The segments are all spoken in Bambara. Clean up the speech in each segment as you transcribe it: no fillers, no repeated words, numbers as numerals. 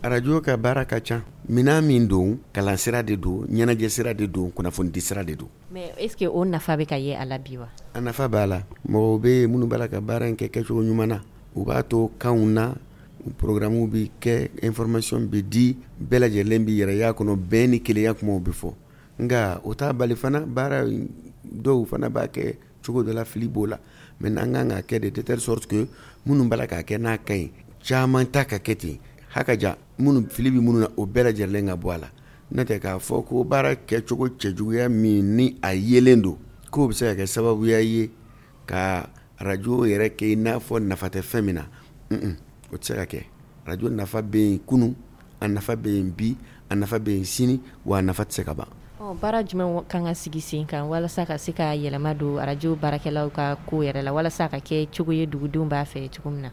Arajo ka baara ka ca. Minɛn min don, kalansira de don, ɲɛnajɛ sira de don, kunnafonidi sira de don. Mais est ce que o nafa bɛ ka ye a la bi wa? A nafa b'a la. Mɔgɔw bɛ yen minnu b'a la ka baara in kɛ kɛcogo ɲuman na. U b'a to kanw na, programme bɛ kɛ, information bɛ di, bɛɛ lajɛlen bɛ yɛrɛ y'a kɔnɔ, bɛn ni kelenya kumaw bɛ fɔ. Nka o t'a bali fana baara dɔw fana b'a kɛ cogo dɔ la, fili b'o la. Mais an kan ka kɛ de telle sorte que minnu b'a la k'a kɛ n'a ka ɲi, caman ta ka kɛ ten hakaja, minnu fili bɛ minnu na, o bɛɛ lajɛlen ka bɔ a la. N'o tɛ k'a fɔ ko baara kɛcogo cɛjuguya min ni a yelen don, k'o bɛ se ka kɛ sababuya ye ka arajo yɛrɛ kɛ i n'a fɔ nafa tɛ fɛn min na, o tɛ se ka kɛ. Arajo nafa bɛ yen kunun, a nafa bɛ yen bi, a nafa bɛ yen sini, wa a nafa tɛ se ka ban. Baara jumɛn kan ka sigi sen kan walasa ka se ka yɛlɛma don arajo baarakɛlaw ka ko yɛrɛ la, walasa ka kɛ cogo ye dugudenw b'a fɛ cogo min na?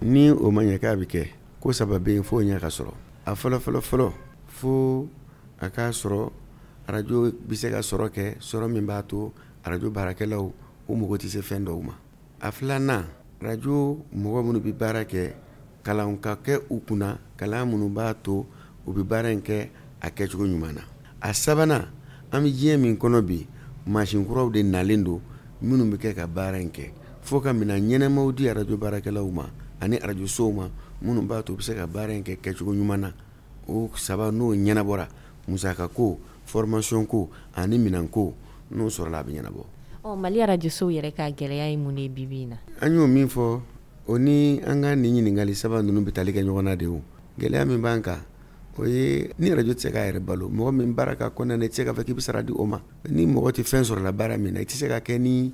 Ni o ma ɲɛ k'a bɛ kɛ, ko saba bɛ yen fo ɲɛ ka sɔrɔ. A fɔlɔ fɔlɔ fɔlɔ, fo a k'a sɔrɔ arajo bɛ se ka sɔrɔ kɛ, sɔrɔ min b'a to arajo baarakɛlaw u mago tɛ se fɛn dɔw ma. A filanan, arajo mɔgɔ minnu bɛ baara kɛ, kalan ka kɛ u kunna, kalan minnu b'a to u bɛ baara in kɛ a kɛcogo ɲuman na. A sabanan, an bɛ diɲɛ min kɔnɔ bi, mansin kuraw de nalen don minnu bɛ kɛ ka baara in kɛ. Fo ka minɛn ɲɛnamaw di arajo baarakɛlaw ma ani arajosow ma minnu b'a to u bɛ se ka baara in kɛ kɛcogo ɲuman na. O saba n'o ɲɛnabɔra, musaka ko, formation ko ani minɛn ko, n'o sɔrɔla a bɛ ɲɛnabɔ. Mali arajosow yɛrɛ ka gɛlɛya ye mun ye bi bi in na? An y'o min fɔ, o ni an ka nin ɲininkali saba ninnu bɛ tali kɛ ɲɔgɔn na de. O gɛlɛya min b'an kan, o ye ni arajo tɛ se k'a yɛrɛ balo, mɔgɔ min baara ka kɔnɔna na, i tɛ se k'a fɔ k'i bɛ sara di o ma. Ni mɔgɔ tɛ fɛn sɔrɔ la baara min na, i tɛ se ka kɛ ni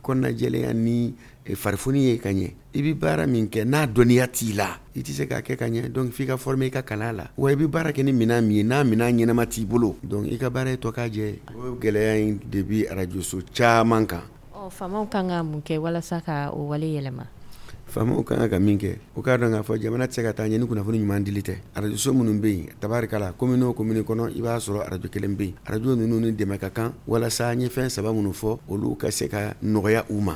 kɔnɔnajɛlenya ni farifoni ye ka ɲɛ. I bɛ baara min kɛ n'a dɔnniya t'i la, i tɛ se k'a kɛ ka ɲɛ. Donc f'i ka former i ka kalan la. Wa i bɛ baara kɛ ni minɛn min ye, n'a minɛn ɲɛnama t'i bolo, donc i ka baara ye tɔ k'a jɛ. O gɛlɛya in de bɛ arajoso caman kan. Faamaw kan ka mun kɛ walasa ka o wale yɛlɛma? Faamaw kan ka min kɛ, o k'a dɔn k'a fɔ jamana tɛ se ka taa ɲɛ ni kunnafoni ɲuman dili tɛ. Arajoso minnu bɛ yen, tabarikala, commune o commune kɔnɔ, i b'a sɔrɔ arajo kelen bɛ yen. Arajo ninnu ni dɛmɛ ka kan walasa n ye fɛn saba minnu fɔ, olu ka se ka nɔgɔya u ma.